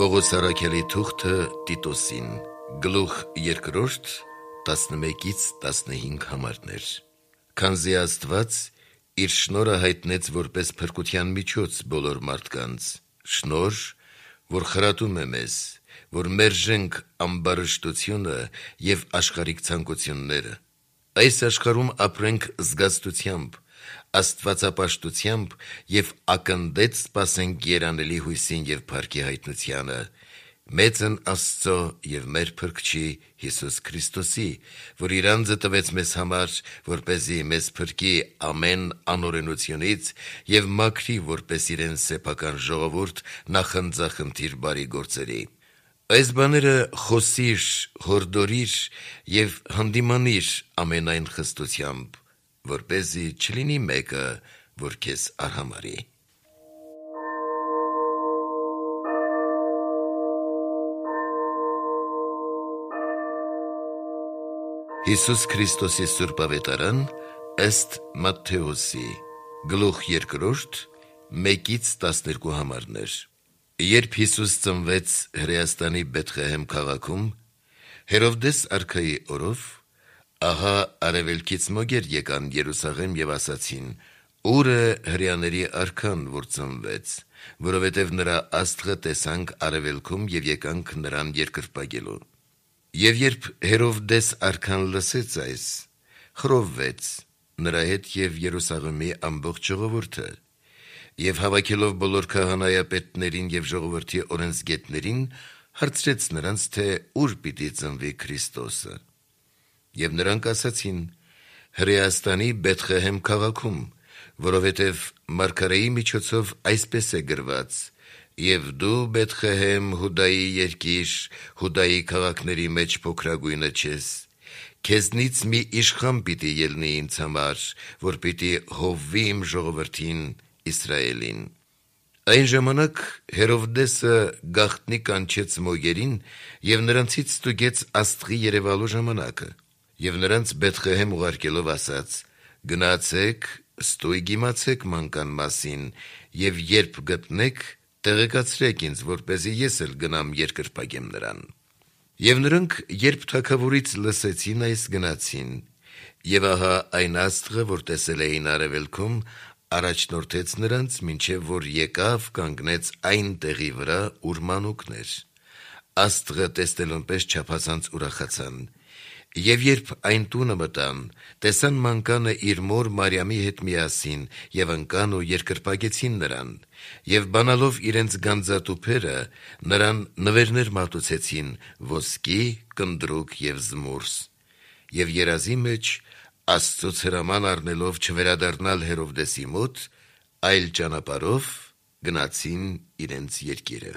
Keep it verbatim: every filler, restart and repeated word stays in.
Պողոս առաքյալի թուղթը Տիտոսին, գլուխ երկրորդ, տասնմեկից տասնհինգ համարներ։ Քանզի Աստված իր շնորհը հայտնեց որպես փրկության միջոց բոլոր մարդկանց, շնորհ, որ խրատում է մեզ, որ մերժենք ամբարշտությունը և աշխարհիկ ցանկությունները, այս աշխարհում ապրենք զգաստությամբ, աստվածապաշտությամբ և ակնդեց սպասենք երանելի հույսին և փառքի հայտնությանը, մեծն Աստծո և մեր Փրկչի Հիսուս Քրիստոսի, որ իր անձը տվեց մեզ համար, որպեսզի մեզ փրկի ամեն անօրենությունից և մաքրի որպես իրեն սեփական ժողովուրդ նախընծախնդիր բարի գործերի։ Այս բաները խոսիր, հորդորիր և հանդիմանիր ամենայն խստությամբ, որպեսզի չլինի մեկը, որ քեզ արհամարհի։ Հիսուս Քրիստոսի Սուրբ Ավետարան ըստ Մատթեոսի, գլուխ երկրորդ, մեկից տասներկու համարներ։ Երբ Հիսուս ծնվեց Հրեաստանի Բեթղեհեմ քաղաքում, Հերովդես արքայի օրով, ահա արևելքից մոգեր եկան Երուսաղեմ և ասացին. «Ո՞ւր է հրեաների արքան, որ ծնվեց, որովհետև նրա աստղը տեսանք արևելքում և եկանք նրան երկրպագելու»։ Եվ երբ Հերովդես արքան լսեց այս, խռովվեց, նրա հետ և Երուսաղեմի ամբողջ ժողովուրդը, և հավաքելով բոլոր քահանայապետներին և ժողովրդի օրենսգետներին, հարցրեց նրանց, թե ուր պիտի ծնվի Քրիստոսը։ Եվ նրանք ասացին. «Հրեաստանի Բեթղեհեմ քաղաքում, որովհետև մարգարեի միջոցով այսպես է գրված. «Եվ դու, Բեթղեհեմ, Հուդայի երկիր, Հուդայի քաղաքների մեջ փոքրագույնը չես, քեզնից մի իշխան պիտի ելնի ինձ համար, որ պիտի հովվի իմ ժողովրդին Իսրայելին»։ Այն ժամանակ Հերովդեսը գաղտնի կանչեց մոգերին և նրանցից ստուգեց աստղի երևալու ժամանակը, և նրանց Բեթղեհեմ ուղարկելով ասաց. «Գնացեք, ստույգ իմացեք մանկան մասին, և երբ գտնեք, տեղեկացրեք ինձ, որպեսզի ես էլ գնամ երկրպագեմ նրան»։ Եվ նրանք, երբ թագավորից լսեցին այս, գնացին, և ահա այն աստղը, որ տեսել էին արևելքում, առաջնորդեց նրանց, մինչև որ եկավ, կանգնեց այն տեղի վրա, ուր մանուկն էր։ Աստղը տեսնելուն պես չափազանց ուրախացան։ Եվ երբ այն տունը մտան, տեսան մանկանը իր մոր Մարիամի հետ միասին և ընկան ու երկրպագեցին նրան, և բանալով իրենց գանձատուփերը, նրան նվերներ մատուցեցին՝ ոսկի, կնդրուկ և զմուրս։ Եվ երազի մեջ Աստծուց հրաման առնելով չվերադառնալ Հերովդեսի մոտ, այլ ճանապարհով գնացին իրենց երկիրը։